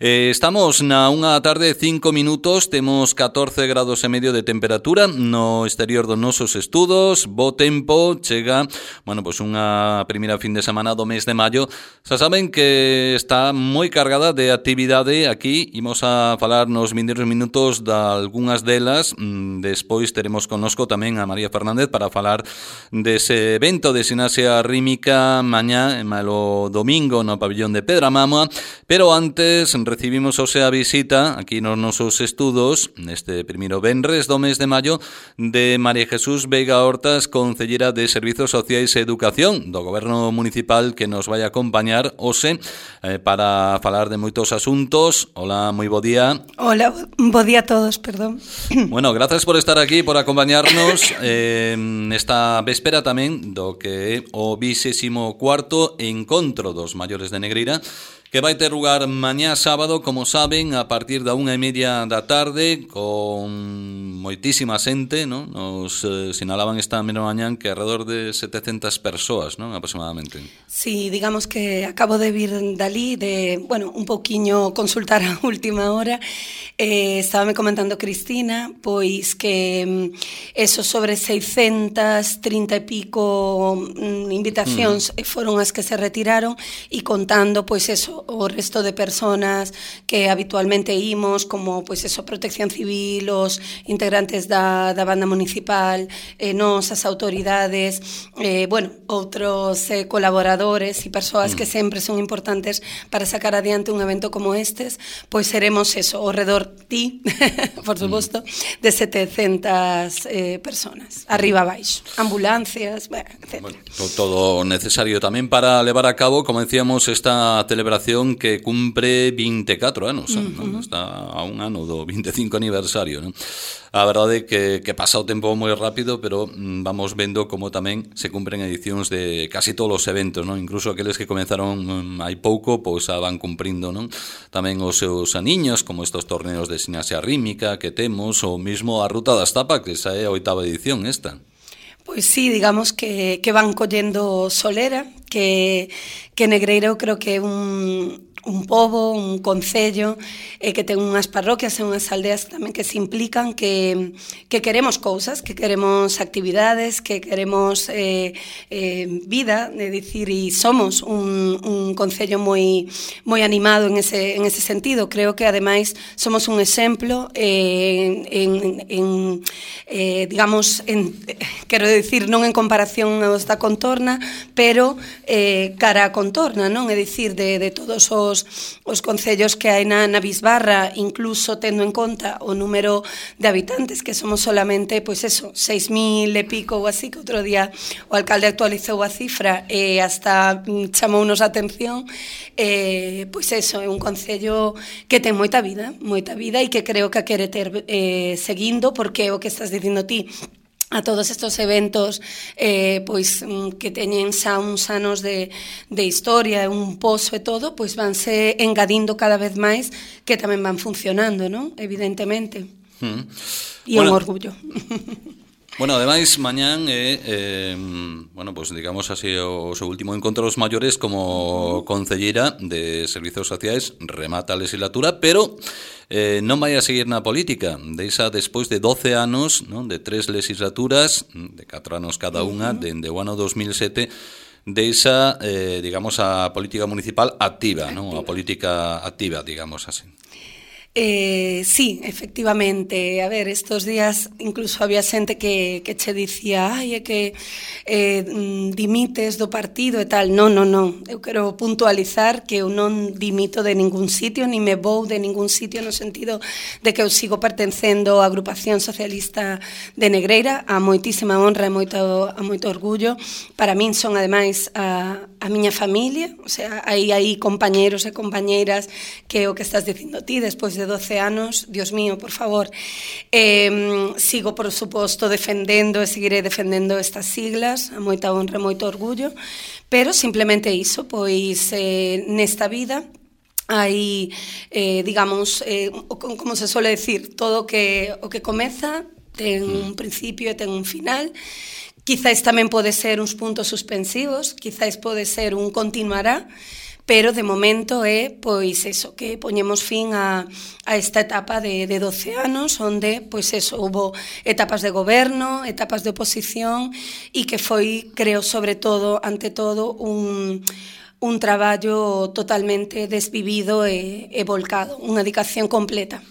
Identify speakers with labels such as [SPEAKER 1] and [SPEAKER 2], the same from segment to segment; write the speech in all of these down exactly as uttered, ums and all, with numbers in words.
[SPEAKER 1] Eh, estamos na unha tarde cinco minutos, temos catorce grados e medio de temperatura no exterior dos nosos estudos, bo tempo, chega, bueno, pois unha primeira fin de semana do mes de maio. Xa saben que está moi cargada de actividade aquí, imos a falar nos vindeiros minutos de algunhas delas, despois teremos connosco tamén a María Fernández para falar dese evento de Sinasia Rítmica mañá, malo domingo no pabillón de Pedramama, pero antes recibimos hoxe a visita aquí nos nosos estudos neste primeiro venres do mes de maio de María Jesús Veiga Hortas, concellera de Servizos Sociais e Educación do Goberno Municipal, que nos vai acompañar hoxe eh, para falar de moitos asuntos. Hola, moi bo día.
[SPEAKER 2] Hola, bo día a todos, perdón.
[SPEAKER 1] Bueno, grazas por estar aquí, por acompañarnos eh, nesta véspera tamén do que é o vixésimo cuarto encontro dos maiores de Negreira, que vai ter lugar mañá sábado, como saben, a partir da unha e media da tarde, con moitísima xente, non? Nos eh, sinalaban esta mesma mañán que alrededor de setecentas persoas, non? Aproximadamente.
[SPEAKER 2] Sí, digamos que acabo de vir dali, de, bueno, un pouquiño consultar a última hora. Eh, estaba me comentando Cristina, pois que eso sobre seiscentas trinta e pico mm, invitacións mm. foron as que se retiraron, e contando, pois eso, o resto de personas que habitualmente imos, como pois eso, Protección Civil, os integrantes da, da banda municipal, eh, nos, as autoridades, eh, bueno, outros eh, colaboradores e persoas mm. que sempre son importantes para sacar adiante un evento como estes, pois seremos eso, ao redor ti, por suposto, mm. de setecentas eh, personas, arriba abaixo, ambulancias, bueno, etcétera.
[SPEAKER 1] Bueno, todo necesario tamén para levar a cabo, como decíamos, esta celebración que cumpre vinte e catro anos, uh -huh. ¿no? Está a un ano do veinticinco aniversario, ¿no? A verdade é que, que pasa o tempo moi rápido, pero mm, vamos vendo como tamén se cumpren edicións de casi todos os eventos, ¿no? Incluso aqueles que comenzaron mm, hai pouco, pois xa van cumprindo, ¿no? Tamén os seus aniños, como estos torneos de Sinasia Rítmica que temos, ou mismo a Ruta das Tapas, que xa é a oitava edición esta.
[SPEAKER 2] Pois sí, digamos que, que van collendo solera, que, que Negreira eu creo que é un, un pobo, un concello, eh, que ten unhas parroquias e unhas aldeas tamén que se implican, que, que queremos cousas, que queremos actividades, que queremos eh, eh, vida, é dicir, e somos un, un concello moi moi animado en ese, en ese sentido. Creo que ademais somos un exemplo eh, en, en eh, digamos, en, quero dicir, non en comparación aos da contorna, pero eh, cara a contorna, non? É dicir, de, de todos os os concellos que hai na, na Bisbarra, incluso tendo en conta o número de habitantes, que somos solamente, pois eso, seis mil e pico ou así, que outro día o alcalde actualizou a cifra e hasta chamounos a atención, eh, pois eso, é un concello que ten moita vida, moita vida, e que creo que a quere ter eh, seguindo, porque o que estás dicindo ti, a todos estos eventos eh, pois que teñen xa uns anos de, de historia, un pozo e todo, pois vanse engadindo cada vez máis, que tamén van funcionando, non? Evidentemente. Mm. E bueno, un orgullo.
[SPEAKER 1] Bueno, ademais, mañán é, eh, bueno, pues digamos así, o seu último encontro dos maiores como concellera de Servizos Sociais, remata a legislatura, pero eh, non vai a seguir na política. Deixa despois de doce anos, non, de tres legislaturas, de catro anos cada unha, dende o ano dos mil sete, deixa, eh, digamos, a política municipal activa, non? A política activa, digamos así.
[SPEAKER 2] Eh, sí, efectivamente. A ver, estos días incluso había xente que, que che dicía ai, é que eh, dimites do partido e tal. Non, non, non. Eu quero puntualizar que eu non dimito de ningún sitio, ni me vou de ningún sitio, no sentido de que eu sigo pertencendo á Agrupación Socialista de Negreira, a moitísima honra e moito, a moito orgullo. Para min son, ademais, a, a miña familia, o sea, hai aí compañeros e compañeiras que o que estás dicindo ti, despois de doce anos, Dios mío, por favor. Eh, sigo, por suposto, defendendo e seguiré defendendo estas siglas, a moita honra e moito orgullo, pero simplemente iso, pois eh, nesta vida hai, eh, digamos, eh, como se suele decir, todo que, o que comeza ten un principio e ten un final. Quizáis tamén pode ser uns puntos suspensivos, quizáis pode ser un continuará, pero de momento é, pois, eso, que poñemos fin a, a esta etapa de, de doce anos, onde, pois, eso, hubo etapas de goberno, etapas de oposición, e que foi, creo, sobre todo, ante todo, un... un traballo totalmente desvivido e, e volcado, unha dedicación completa.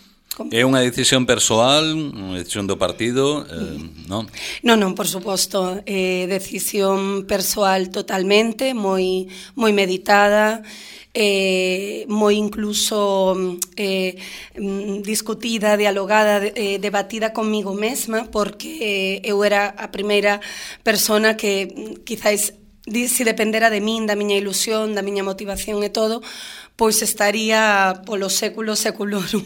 [SPEAKER 1] É unha decisión persoal, unha decisión do partido, eh, non?
[SPEAKER 2] Non, non, por suposto, é eh, decisión persoal totalmente, moi moi meditada, eh, moi incluso eh, discutida, dialogada, eh, debatida comigo mesma, porque eh, eu era a primeira persona que quizáis se dependera de min, da miña ilusión, da miña motivación e todo, pois estaría polo século seculorum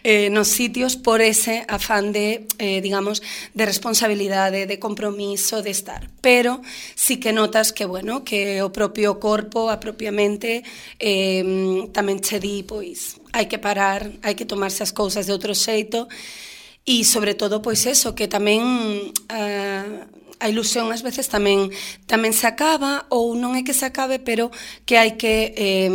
[SPEAKER 2] eh, nos sitios por ese afán de, eh, digamos, de responsabilidade, de compromiso, de estar. Pero sí que notas que, bueno, que o propio corpo, a propia mente, eh, tamén che di, pois, hai que parar, hai que tomarse as cousas de outro xeito, e sobre todo, pois eso, que tamén... Uh, a ilusión ás veces tamén tamén se acaba, ou non é que se acabe, pero que hai que eh,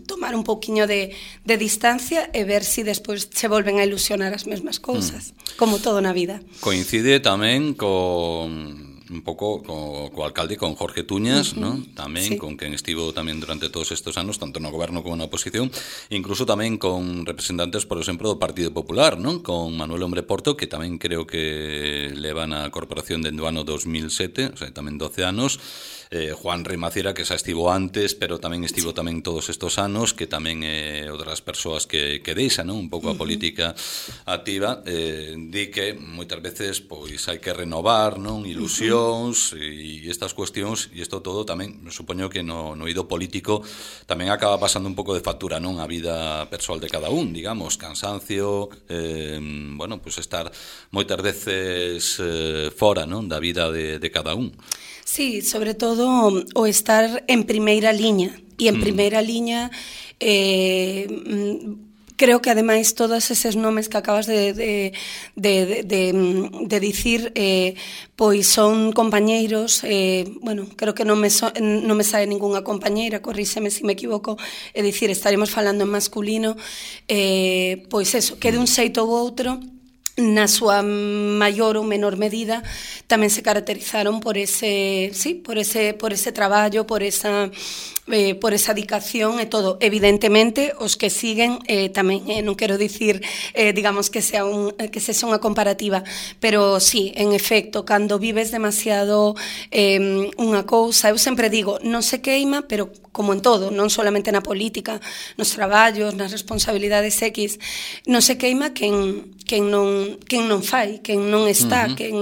[SPEAKER 2] tomar un pouquiño de, de distancia e ver se si despois se volven a ilusionar as mesmas cousas, mm. como todo na vida.
[SPEAKER 1] Coincide tamén con... un pouco co, co alcalde, con Jorge Tuñas, uh-huh. ¿no? Tamén, sí. Con quen estivo tamén durante todos estes anos, tanto no goberno como na oposición, incluso tamén con representantes, por exemplo, do Partido Popular, ¿no? Con Manuel Hombre Porto, que tamén creo que leva na corporación dende o ano dos mil sete, o sea, tamén doce anos, eh, Juan Rimaciera, que xa estivo antes, pero tamén estivo tamén todos estes anos, que tamén é eh, outras persoas que, que deixa, ¿no? Un pouco a política activa, eh, di que moitas veces pois hai que renovar, non? Ilusión, e estas cuestións, e isto todo tamén, supoño que no, no eido político tamén acaba pasando un pouco de factura, non? A vida persoal de cada un, digamos, cansancio, eh, bueno, pues estar moitas veces eh, fora, non? Da vida de, de cada un.
[SPEAKER 2] Sí, sobre todo o estar en primeira liña, e en primeira mm. liña eh, creo que ademais todos eses nomes que acabas de, de, de, de, de dicir eh, pois son compañeiros, eh, bueno, creo que non me, so, non me sae ningunha compañeira, corríxeme se me equivoco, é dicir, estaremos falando en masculino, eh, pois eso, que de un xeito ou outro, na súa maior ou menor medida, tamén se caracterizaron por ese, sí, por ese, por ese traballo, por esa eh, por esa dedicación e todo. Evidentemente, os que siguen eh, tamén, eh, non quero dicir, eh, digamos, que sea un, que sexa unha comparativa, pero sí, en efecto, cando vives demasiado eh, unha cousa, eu sempre digo, non se queima, pero como en todo, non solamente na política, nos traballos, nas responsabilidades X, non se queima quen, quen, non, quen non fai, quen non está, uh-huh. quen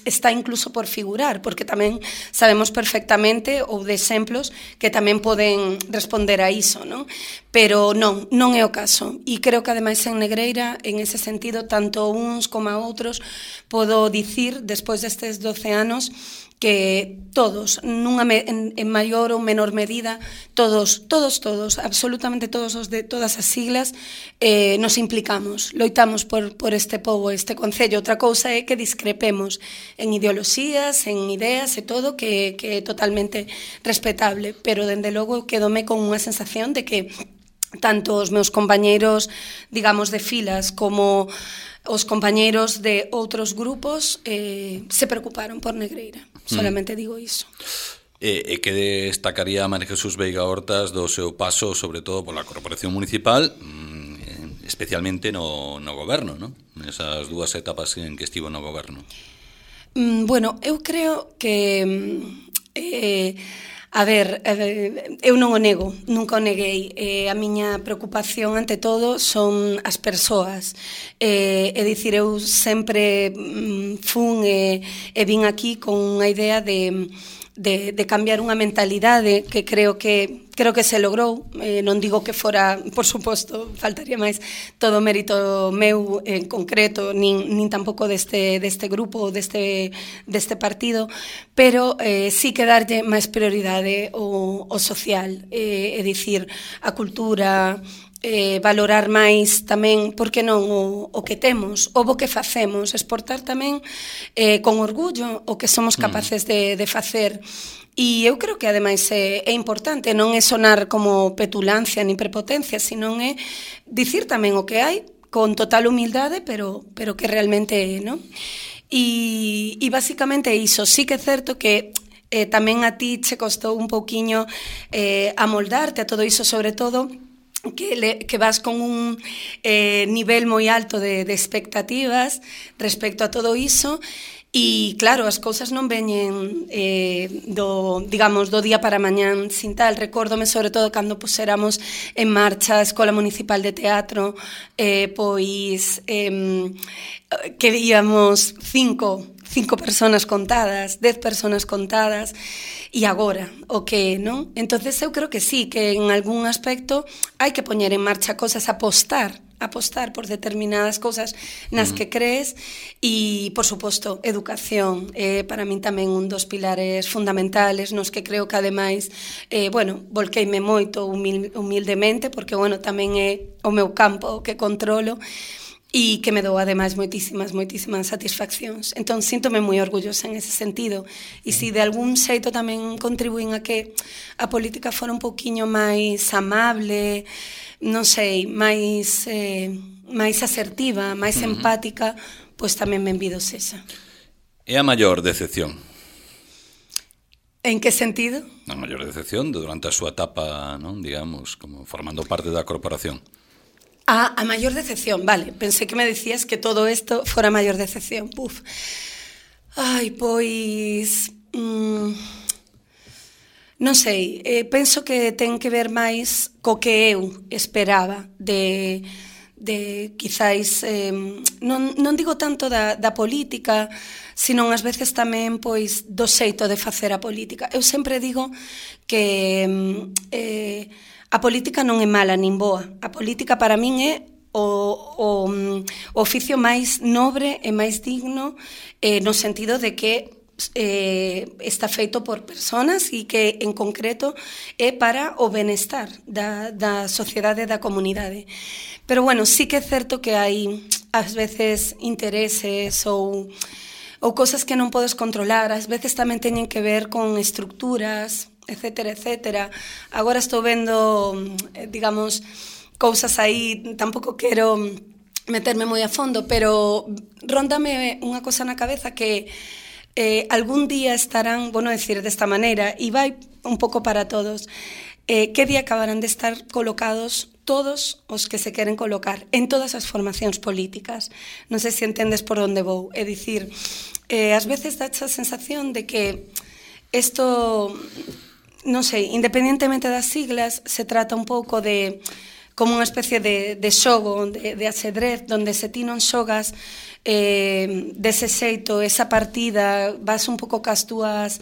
[SPEAKER 2] está incluso por figurar, porque tamén sabemos perfectamente, ou de exemplos, que tamén poden responder a iso, non? Pero non, non é o caso. E creo que ademais en Negreira, en ese sentido, tanto uns como a outros, podo dicir, despois destes doce anos, que todos, nunha me, en, en maior ou menor medida, todos, todos, todos, absolutamente todos os de todas as siglas, eh, nos implicamos, loitamos por, por este pobo, este concello. Outra cousa é que discrepemos en ideoloxías, en ideas e todo, que, que é totalmente respetable, pero dende logo quedome con unha sensación de que tanto os meus compañeiros, digamos, de filas, como os compañeiros de outros grupos eh, se preocuparon por Negreira. Solamente mm. digo iso.
[SPEAKER 1] E, e que destacaría a María Jesús Veiga Hortas do seu paso, sobre todo pola Corporación Municipal, especialmente no, no goberno, non? Nesas dúas etapas en que estivo no goberno.
[SPEAKER 2] Mm, bueno, eu creo que eh, a ver, eh, eu non o nego, nunca o neguei. Eh, a miña preocupación, ante todo, son as persoas. Eh, é dicir, eu sempre mm, fun e, e vin aquí con unha idea de, de, de cambiar unha mentalidade que creo que creo que se logrou. Eh, non digo que fora, por suposto, faltaría máis todo o mérito meu en concreto, nin, nin tampouco deste, deste grupo, deste, deste partido, pero eh, sí que darlle máis prioridade ao, ao social, eh, é dicir, a cultura, eh, valorar máis tamén, por que non, o, o que temos, o bo que facemos, exportar tamén eh, con orgullo o que somos capaces de, de facer. E eu creo que ademais é, é importante, non é sonar como petulancia nin prepotencia, senón é dicir tamén o que hai con total humildade, pero, pero que realmente é, non? E, e basicamente iso, sí que é certo que eh, tamén a ti che costou un pouquiño eh, amoldarte a todo iso, sobre todo que, le, que vas con un eh, nivel moi alto de, de expectativas respecto a todo iso. E claro, as cousas non veñen eh, do, digamos, do día para mañán sin tal. Recórdome sobre todo cando puséramos en marcha a Escola Municipal de Teatro, eh, pois eh, que íamos cinco, cinco personas contadas, dez personas contadas, e agora, o que, non? Entonces eu creo que sí, que en algún aspecto hai que poñer en marcha cosas, apostar apostar por determinadas cousas nas que crees e, por suposto, educación. Eh, para min tamén un dos pilares fundamentales nos que creo que, ademais, eh, bueno, volqueime moito humil, humildemente, porque, bueno, tamén é o meu campo que controlo, e que me dou, ademais, moitísimas, moitísimas satisfaccións. Entón, síntome moi orgullosa en ese sentido. E se de algún xeito tamén contribuín a que a política fora un pouquiño máis amable, non sei, máis, eh, máis asertiva, máis uh-huh. empática, pois tamén benvido sexa.
[SPEAKER 1] É a maior decepción?
[SPEAKER 2] En que sentido?
[SPEAKER 1] A maior decepción durante a súa etapa, non, digamos, como formando parte da corporación.
[SPEAKER 2] Ah, a maior decepción, vale. Pensei que me decías que todo isto fora a maior decepción. Puf. Ai, pois... Mm, non sei, eh, penso que ten que ver máis co que eu esperaba de, de quizáis, eh, non, non digo tanto da, da política, senón ás veces tamén pois do xeito de facer a política. Eu sempre digo que eh, a política non é mala nin boa. A política para min é o, o, o oficio máis nobre e máis digno, eh, no sentido de que Eh, está feito por personas e que en concreto é para o benestar da, da sociedade e da comunidade. Pero bueno, sí que é certo que hai ás veces intereses ou, ou cosas que non podes controlar, ás veces tamén teñen que ver con estructuras, etcétera, etcétera. Agora estou vendo, digamos, cousas aí, tampouco quero meterme moi a fondo, pero róndame unha cosa na cabeza que Eh, algún día estarán, bueno, decir desta maneira, e vai un pouco para todos, eh, que día acabarán de estar colocados todos os que se queren colocar en todas as formacións políticas. Non sei se entendes por onde vou. É dicir, eh, ás veces dá a sensación de que isto, non sei, independentemente das siglas, se trata un pouco de como unha especie de, de xogo, de, de axedrez, donde se ti non xogas eh, dese xeito, esa partida, vas un pouco cas túas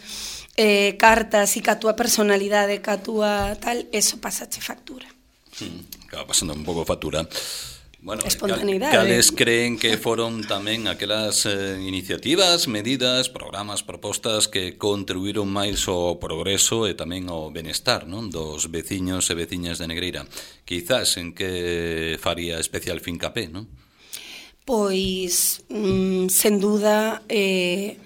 [SPEAKER 2] eh, cartas e ca túa personalidade, ca túa tal, eso pasache factura.
[SPEAKER 1] Mm, acaba pasando un pouco factura. Bueno,
[SPEAKER 2] espontaneidade.
[SPEAKER 1] Cales creen que foron tamén aquelas eh, iniciativas, medidas, programas, propostas que contribuíron máis ao progreso e tamén ao benestar, non, dos veciños e veciñas de Negreira? Quizás en que faría especial fincapé, non?
[SPEAKER 2] Pois, mm, sen duda, eh,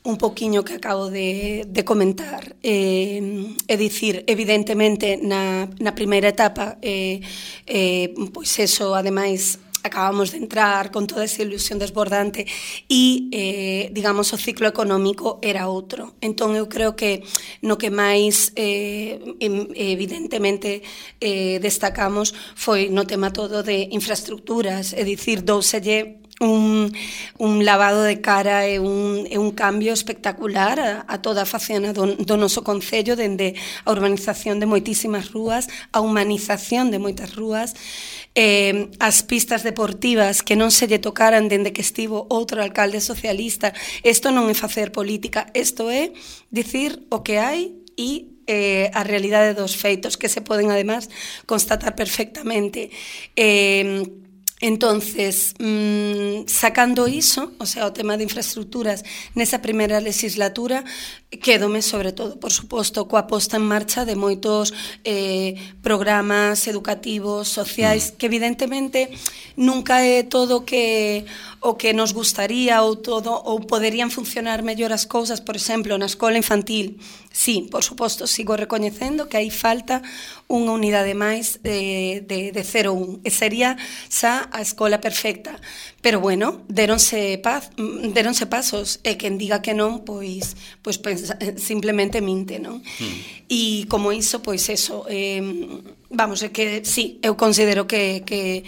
[SPEAKER 2] un poquiño que acabo de, de comentar. Eh, é dicir, evidentemente, na, na primeira etapa, eh, eh, pois eso, ademais, acabamos de entrar con toda esa ilusión desbordante e, eh, digamos, o ciclo económico era outro. Entón, eu creo que no que máis, eh, evidentemente, eh, destacamos foi no tema todo de infraestructuras, é dicir, douselle un, un lavado de cara e un, e un cambio espectacular a, a toda a facena do, do noso concello, dende a urbanización de moitísimas rúas, a humanización de moitas rúas, eh, as pistas deportivas que non se lle tocaran dende que estivo outro alcalde socialista. Isto non é facer política, isto é dicir o que hai e eh, a realidade dos feitos que se poden, además, constatar perfectamente. Eh, Entonces, mmm, sacando iso, o sea, o tema de infraestructuras nesa primeira legislatura, quédome sobre todo, por suposto, coa posta en marcha de moitos eh, programas educativos, sociais, que evidentemente nunca é todo que o que nos gustaría ou todo ou poderían funcionar mellor as cousas, por exemplo, na escola infantil. Sí, por suposto, sigo recoñecendo que aí falta unha unidade máis de, de, de cero a un, e sería xa a escola perfecta. Pero bueno, deronse, paz, deronse pasos, e quen diga que non, pois, pois pensa, simplemente minte, non? Mm. E como iso, pois eso, eh, vamos, é que sí, eu considero que, que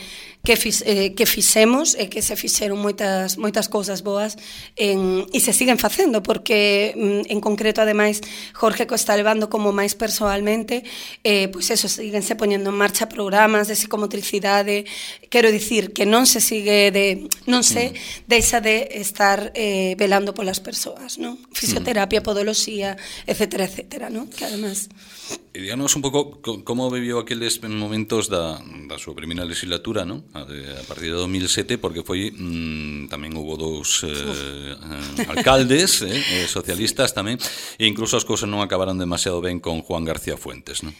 [SPEAKER 2] que, fix, eh, que fixemos e que se fixeron moitas, moitas cousas boas en, e se siguen facendo, porque en concreto, ademais, Jorge co está levando como máis persoalmente, eh, pois eso, síguense poñendo en marcha programas de psicomotricidade, quero dicir que non se sigue de, non se mm. deixa de estar eh, velando polas persoas, non? Fisioterapia, mm. podoloxía, etcétera, etcétera, non? Que además...
[SPEAKER 1] E díganos un pouco como viviu aqueles momentos da, da súa primeira legislatura, non? A, de, a partir de dos mil sete, porque foi mmm, tamén hubo dous eh, eh, alcaldes eh, socialistas tamén, e incluso as cousas non acabaron demasiado ben con Juan García Fuentes, non?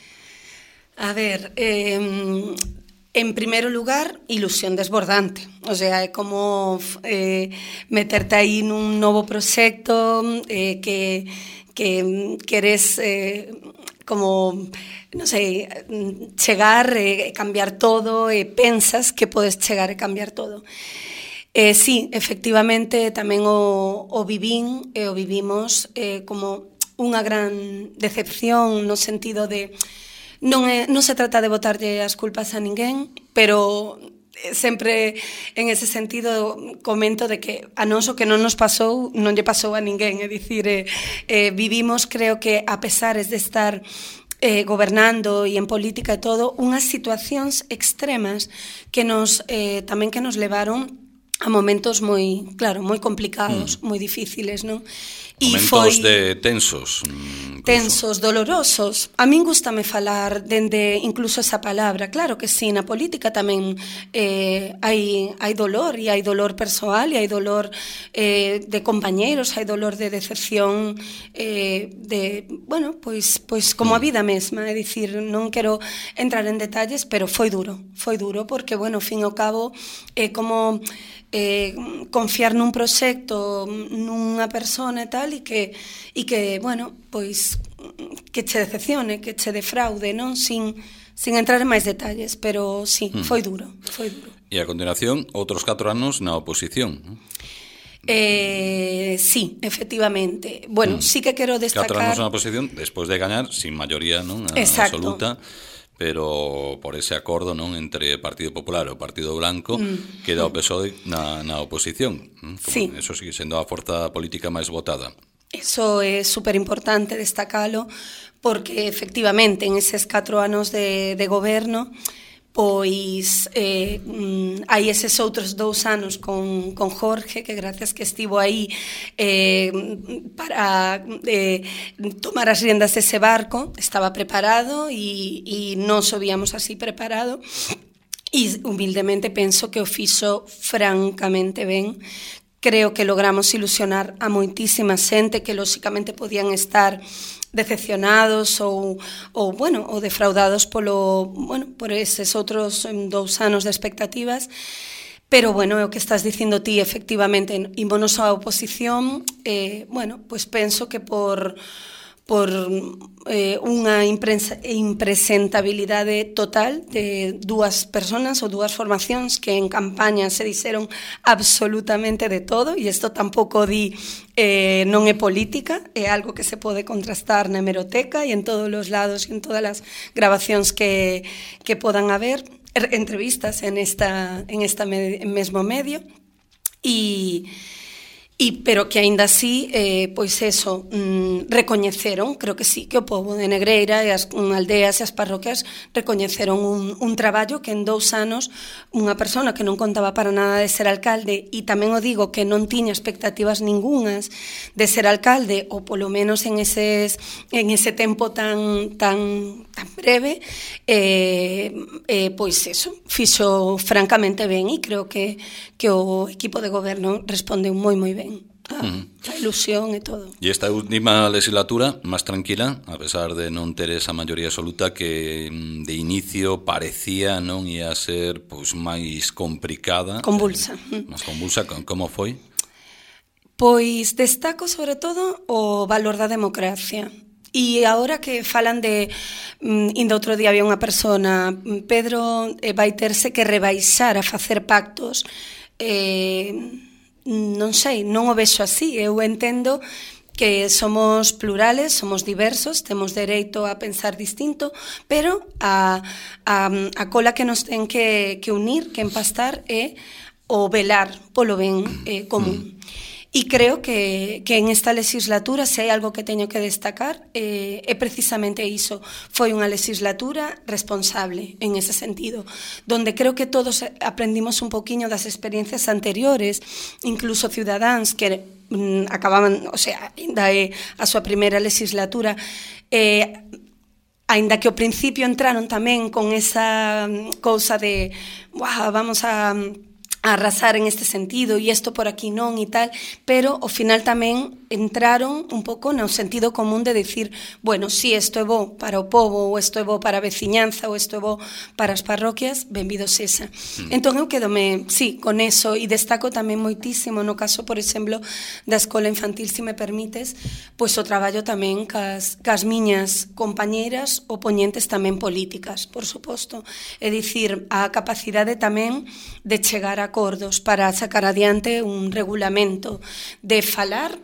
[SPEAKER 2] A ver, eh, en primeiro lugar, ilusión desbordante. O sea, é como eh, meterte aí nun novo proxecto eh, que, que queres... Eh, como, non sei, chegar e cambiar todo, e pensas que podes chegar e cambiar todo. Eh, sí, efectivamente, tamén o, o vivín e o vivimos eh, como unha gran decepción no sentido de non, é, non se trata de botarlle as culpas a ninguén, pero sempre en ese sentido comento de que a nós o que non nos pasou non lle pasou a ninguén, é dicir, eh, eh, vivimos, creo que a pesares de estar eh, gobernando e en política e todo, unhas situacións extremas que nos eh, tamén que nos levaron a momentos moi, claro, moi complicados, mm. moi difíciles, non?
[SPEAKER 1] Momentos foi de tensos. Incluso.
[SPEAKER 2] Tensos, dolorosos. A min gústame falar dende incluso esa palabra. Claro que sí, na política tamén eh, hai, hai dolor, e hai dolor persoal, e hai dolor eh, de compañeiros, hai dolor de decepción, eh, de, bueno, pois, pois como a vida mesma, é dicir, non quero entrar en detalles, pero foi duro, foi duro, porque, bueno, ao fin e ao cabo, é eh, como... Eh, confiar nun proxecto, nunha persona e tal, e que, e que bueno, pois que che decepcione, que che defraude, non? Sin, sin entrar en máis detalles, pero sí, mm. foi duro, foi duro.
[SPEAKER 1] E a continuación, outros catro anos na oposición, non?
[SPEAKER 2] Eh, sí, efectivamente. Bueno, mm. sí que quero destacar...
[SPEAKER 1] Catro anos na oposición, despois de gañar, sin maioría, non? A, absoluta. Pero por ese acordo, non, entre Partido Popular e o Partido Blanco, mm. queda o P S O E na, na oposición. Como
[SPEAKER 2] sí.
[SPEAKER 1] Eso sigue sendo a forza política máis votada.
[SPEAKER 2] Eso é super importante destacalo, porque efectivamente en eses catro anos de, de goberno, pois eh, hai eses outros dous anos con, con Jorge, que gracias que estivo aí eh, para eh, tomar as riendas dese barco, estaba preparado e, e nos o víamos así preparado, e humildemente penso que o fixo francamente ben. Creo que logramos ilusionar a moitísima xente que lóxicamente podían estar decepcionados ou, ou bueno, ou defraudados polo, bueno, por eses outros dous anos de expectativas. Pero, bueno, é o que estás dicindo ti, efectivamente, ímonos á oposición, eh, bueno, pois penso que por por eh, unha impresentabilidade total de dúas personas ou dúas formacións que en campaña se dixeron absolutamente de todo, e isto tampouco di eh, non é política, é algo que se pode contrastar na hemeroteca e en todos os lados e en todas as grabacións que, que podan haber, entrevistas en esta, en esta me, mesmo medio, e E, pero que aínda así, eh, pois eso, mm, recoñeceron, creo que sí, que o pobo de Negreira e as um, aldeas e as parroquias recoñeceron un, un traballo que en dous anos unha persona que non contaba para nada de ser alcalde, e tamén o digo que non tiña expectativas ningunhas de ser alcalde, ou polo menos en, eses, en ese tempo tan, tan, tan breve, eh, eh, pois eso, fixo francamente ben, e creo que, que o equipo de goberno respondeu moi moi ben. A, a ilusión e todo.
[SPEAKER 1] E esta última legislatura, máis tranquila, a pesar de non ter esa maioría absoluta que de inicio parecía non ia ser pois máis complicada.
[SPEAKER 2] Convulsa.
[SPEAKER 1] Eh, máis convulsa, como foi?
[SPEAKER 2] Pois destaco sobre todo o valor da democracia. E agora que falan de, indo outro día había unha persona, Pedro eh, vai terse que rebaixar a facer pactos, eh... non sei, non o vexo así. Eu entendo que somos plurales, somos diversos, temos dereito a pensar distinto, pero a, a, a cola que nos ten que, que unir, que empastar, é o velar polo ben eh, común. E creo que, que en esta legislatura, se hai algo que teño que destacar, eh, é precisamente iso. Foi unha legislatura responsable en ese sentido, donde creo que todos aprendimos un poquinho das experiencias anteriores, incluso cidadáns que mm, acababan, o sea, ainda é a súa primeira legislatura, eh, aínda que ao principio entraron tamén con esa cousa de, wow, vamos a... a arrasar en este sentido e isto por aquí non e tal, pero ao final tamén entraron un pouco no sentido común de decir, bueno, si isto é bo para o pobo, ou isto é bo para a veciñanza, ou isto é bo para as parroquias, benvido sexa. Mm. Entón eu quedome, sí, con eso, e destaco tamén moitísimo no caso, por exemplo, da escola infantil, se me permites, pois o traballo tamén cas, cas miñas compañeiras opoñentes tamén políticas, por suposto. É dicir, a capacidade tamén de chegar a acordos para sacar adiante un regulamento, de falar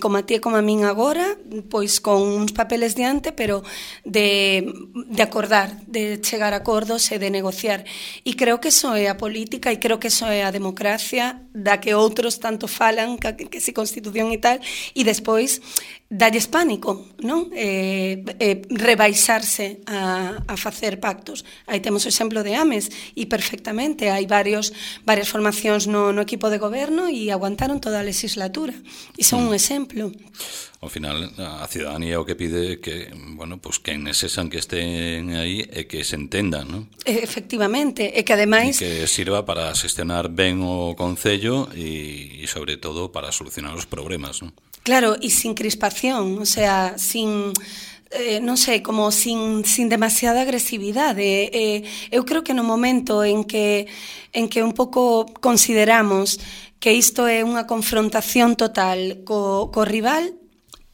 [SPEAKER 2] como a ti e como a min agora, pois con uns papeles diante, pero de, de acordar, de chegar a acordos e de negociar. E creo que eso é a política e creo que eso é a democracia da que outros tanto falan, que, que si constitución e tal, e despois dalles pánico, non? Eh, eh, rebaixarse a, a facer pactos. Aí temos o exemplo de Ames, e perfectamente, hai varios, varias formacións no, no equipo de goberno e aguantaron toda a legislatura. E son un exemplo.
[SPEAKER 1] Ao final, a cidadanía o que pide é que, bueno, pues que nesesan que estén aí e que se entendan, non?
[SPEAKER 2] Efectivamente, e que ademais...
[SPEAKER 1] E que sirva para xestionar ben o concello e, e sobre todo, para solucionar os problemas, non?
[SPEAKER 2] Claro, e sin crispación, o sea, sin... Eh, non sei, como sin, sin demasiada agresividade. Eh, eu creo que no momento en que, en que un pouco consideramos que isto é unha confrontación total co, co rival,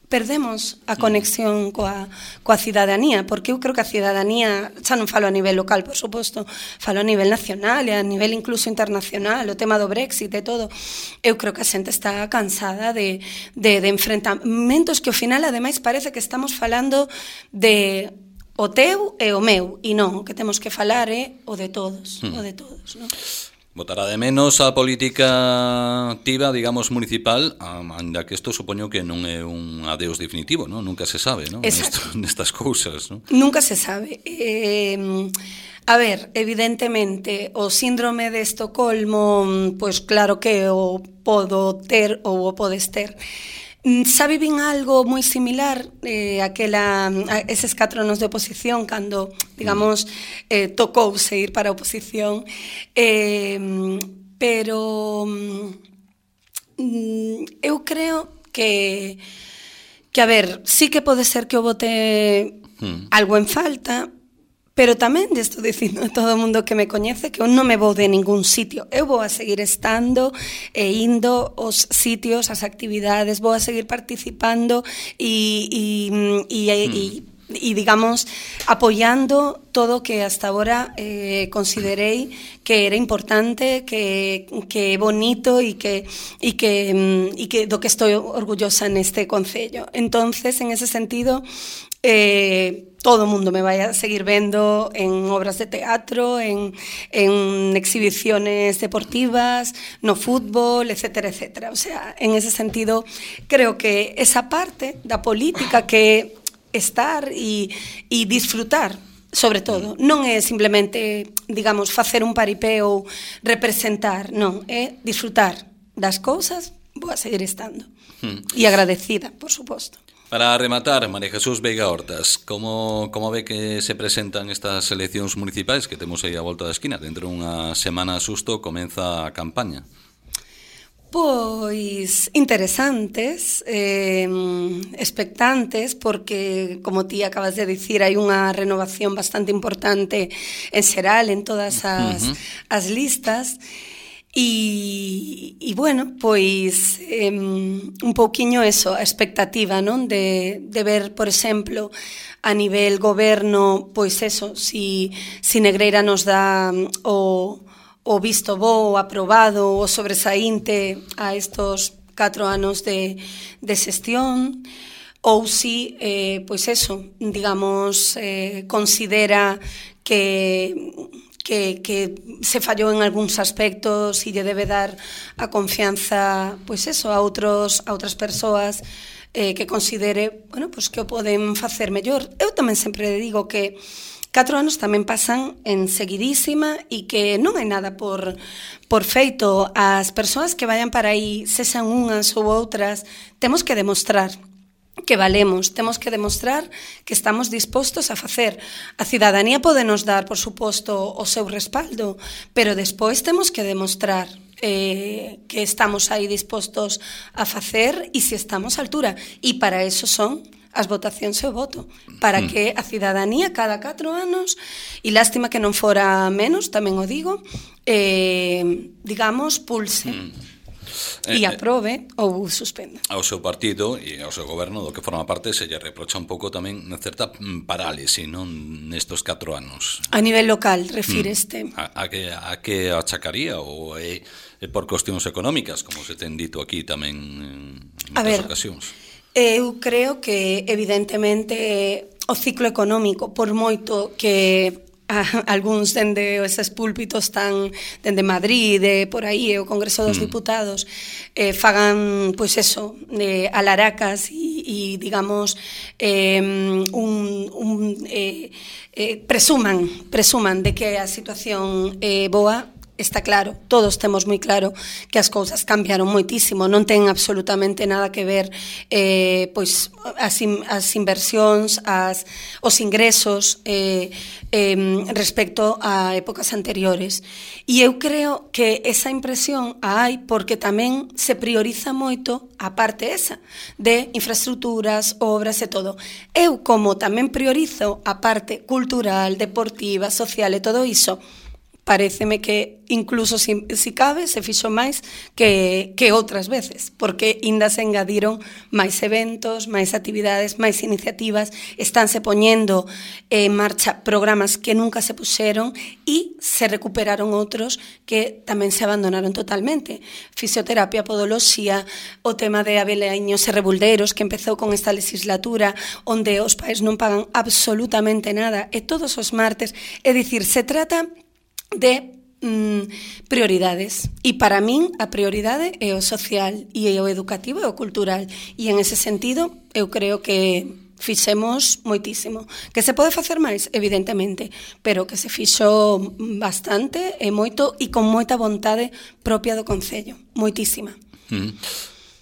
[SPEAKER 2] perdemos a conexión coa, coa cidadanía, porque eu creo que a cidadanía, xa non falo a nivel local, por suposto, falo a nivel nacional e a nivel incluso internacional, o tema do Brexit e todo, eu creo que a xente está cansada de, de, de enfrentamentos que ao final, ademais, parece que estamos falando de o teu e o meu, e non, o que temos que falar é o de todos, hmm. o de todos, non?
[SPEAKER 1] Botará de menos a política activa, digamos, municipal, ainda que isto supoño que non é un adeus definitivo, ¿no? Nunca se sabe, ¿no? Nesto, nestas cousas, ¿no?
[SPEAKER 2] Nunca se sabe. Eh, a ver, evidentemente, o síndrome de Estocolmo, pois claro que o podo ter ou o podes ter. Xa vivín algo moi similar eh, aquela, a eses catro anos de oposición cando, digamos, eh, tocouse ir para a oposición, eh, pero mm, eu creo que que, a ver, sí que pode ser que o bote mm. algo en falta, pero tamén estou dicindo a todo o mundo que me coñece que eu non me vou de ningún sitio. Eu vou a seguir estando e indo aos sitios, as actividades, vou a seguir participando e, e, e, mm. e, e digamos, apoiando todo o que hasta agora eh, considerei que era importante, que, que é bonito e que, e que, e que do que estou orgullosa neste concello. Entonces, en ese sentido, eh, todo o mundo me vai a seguir vendo en obras de teatro, en, en exhibiciones deportivas, no fútbol, etcétera, etcétera. O sea, en ese sentido, creo que esa parte da política que estar e, e disfrutar, sobre todo, non é simplemente, digamos, facer un paripé ou representar, non, é disfrutar das cousas, vou a seguir estando. Hmm. E agradecida, por suposto.
[SPEAKER 1] Para rematar, María Jesús Veiga Hortas, como, como ve que se presentan estas eleccións municipais que temos aí a volta da esquina? Dentro dunha semana susto comeza a campaña.
[SPEAKER 2] Pois interesantes, eh, expectantes, porque, como ti acabas de dicir, hai unha renovación bastante importante en xeral en todas as, uh-huh. as listas. E, e bueno, pois eh, un pouquiño eso, a expectativa, non? De, de ver, por exemplo, a nivel goberno, pois eso, si, si Negreira nos dá o... o visto bo, o aprobado, o sobresaínte a estos catro anos de, de xestión, ou si, eh, pois eso, digamos, eh, considera que, que, que se fallou en algúns aspectos e lle debe dar a confianza, pois eso, a, outros, a outras persoas eh, que considere, bueno, pois que o poden facer mellor. Eu tamén sempre digo que Catro anos tamén pasan en seguidísima e que non hai nada por, por feito. As persoas que vayan para aí, sexan unhas ou outras, temos que demostrar que valemos, temos que demostrar que estamos dispostos a facer. A cidadanía pode nos dar, por suposto, o seu respaldo, pero despois temos que demostrar eh, que estamos aí dispostos a facer e se estamos á altura. E para eso son as votacións e o voto, para que a cidadanía cada catro anos, e lástima que non fora menos, tamén o digo, eh, digamos, pulse e aprobe ou suspenda.
[SPEAKER 1] Ao seu partido e ao seu goberno do que forma parte se lle reprocha un pouco tamén certa parálise, non, nestos catro anos.
[SPEAKER 2] A nivel local, refíreste.
[SPEAKER 1] Mm. A, a, que, a que achacaría ou é, é por cuestións económicas, como se ten dito aquí tamén en moitas ocasións?
[SPEAKER 2] Eu creo que, evidentemente, o ciclo económico, por moito que a, algúns dende eses púlpitos tan dende Madrid, de por aí, o Congreso dos mm. Diputados, eh, fagan, pois eso, eh, alaracas e, e digamos, eh, un, un eh, eh, presuman, presuman de que a situación é eh, boa. Está claro, todos temos moi claro que as cousas cambiaron moitísimo, non ten absolutamente nada que ver eh, pois as, in, as inversións, as, os ingresos eh, eh, respecto a épocas anteriores. E eu creo que esa impresión a hai porque tamén se prioriza moito a parte esa de infraestructuras, obras e todo. Eu, como tamén priorizo a parte cultural, deportiva, social e todo iso, paréceme que incluso si, si cabe se fixo máis que, que outras veces, porque ainda se engadiron máis eventos, máis actividades, máis iniciativas, estánse poñendo en marcha programas que nunca se puxeron e se recuperaron outros que tamén se abandonaron totalmente. Fisioterapia, podoloxía, o tema de abelaiños e rebulderos que empezou con esta legislatura onde os pais non pagan absolutamente nada e todos os martes, é dicir, se trata de mm, prioridades e para min a prioridade é o social e o educativo e o cultural e en ese sentido eu creo que fixemos moitísimo. Que se pode facer máis? Evidentemente, pero que se fixo bastante e moito e con moita vontade propia do Concello, moitísima.
[SPEAKER 1] Mm.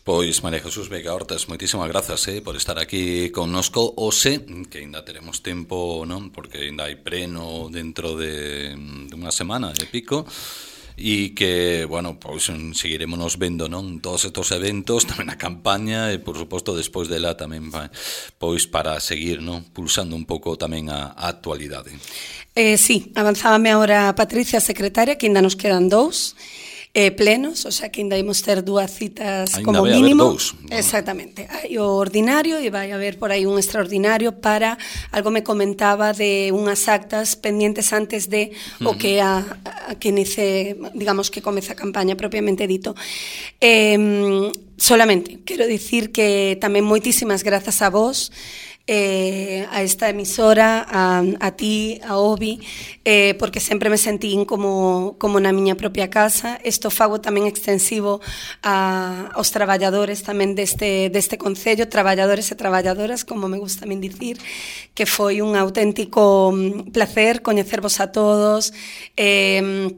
[SPEAKER 1] Pois, María Jesús Veiga Hortas, moitísimas grazas eh, por estar aquí connosco. Ose, que ainda teremos tempo, non? Porque ainda hai preno dentro de, de unha semana e pico, e que, bueno, pois seguiremos vendo, non? Todos estos eventos, tamén a campaña, e, por suposto, despois dela tamén, pois, para seguir, non? Pulsando un pouco tamén a, a actualidade.
[SPEAKER 2] Eh, sí, avanzábame agora a Patricia, secretaria, que ainda nos quedan dous, Eh, plenos, o sea que ainda imos ter dúas citas ainda como mínimo. Dous, ¿no? Exactamente. Hai o ordinario e vai haber por aí un extraordinario para, algo me comentaba de unhas actas pendientes antes de uh-huh. o que a, a que inicie, digamos que comeza a campaña propiamente dito. Eh, solamente, quero dicir que tamén moitísimas grazas a vos, eh, a esta emisora, a, a ti, a Obi, eh, porque sempre me sentín como, como na miña propia casa. Isto fago tamén extensivo a, aos traballadores tamén deste, deste concello, traballadores e traballadoras, como me gusta a min dicir, que foi un auténtico placer coñecervos a todos, eh,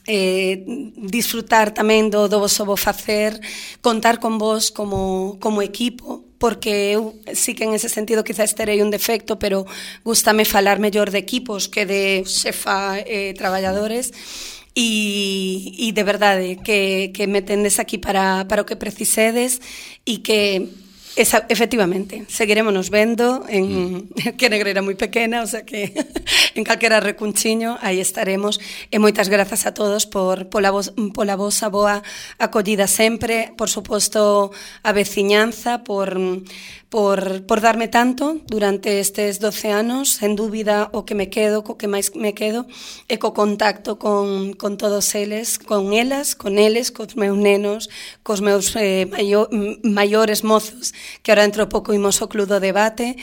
[SPEAKER 2] eh, disfrutar tamén do, do vosso bo facer, contar con vos como, como equipo, porque eu sí que en ese sentido quizás terei un defecto, pero gústame falar mellor de equipos que de xefa eh, traballadores, e, e de verdade que, que me tendes aquí para, para o que precisedes, e que esa, efectivamente, seguiremos vendo en mm. que Negreira moi pequena, o sea que en calquera recunchiño aí estaremos, e moitas grazas a todos por pola, vos, pola vosa boa acollida sempre, por suposto a veciñanza, por, por, por darme tanto durante estes doce anos, sen dúbida o que me quedo, co que máis me quedo, e co contacto con, con todos eles, con elas, con eles, cos meus nenos, cos meus eh, maio, maiores mozos, que ahora dentro pouco imos ao Club do Debate,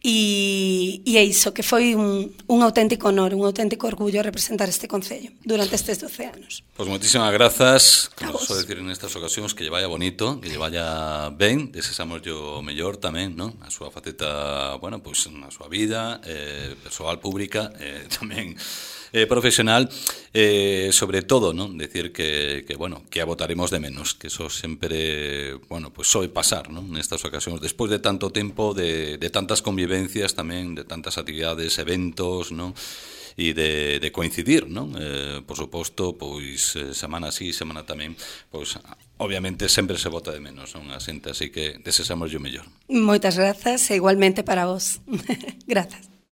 [SPEAKER 2] e, e é iso, que foi un, un auténtico honor, un auténtico orgullo representar este concello durante estes doce anos.
[SPEAKER 1] Pois pues moitísimas grazas, como só decir nestas ocasións, que lle vaya bonito, que lle vaya ben, desexamos yo mellor tamén, non? A súa faceta, bueno, pois pues, na súa vida, eh, persoal, pública, eh, tamén Eh, profesional, eh, sobre todo, ¿no? Decir que, que, bueno, que a votaremos de menos, que eso sempre, bueno, pues soe pasar, ¿no? Nestas ocasións, despois de tanto tempo, de, de tantas convivencias tamén, de tantas actividades, eventos, ¿no? E de, de coincidir, non? Eh, por suposto, pois semana así, semana tamén, pois obviamente sempre se vota de menos, non? A xente, así que desexamos yo mellor.
[SPEAKER 2] Moitas grazas e igualmente para vos. Grazas.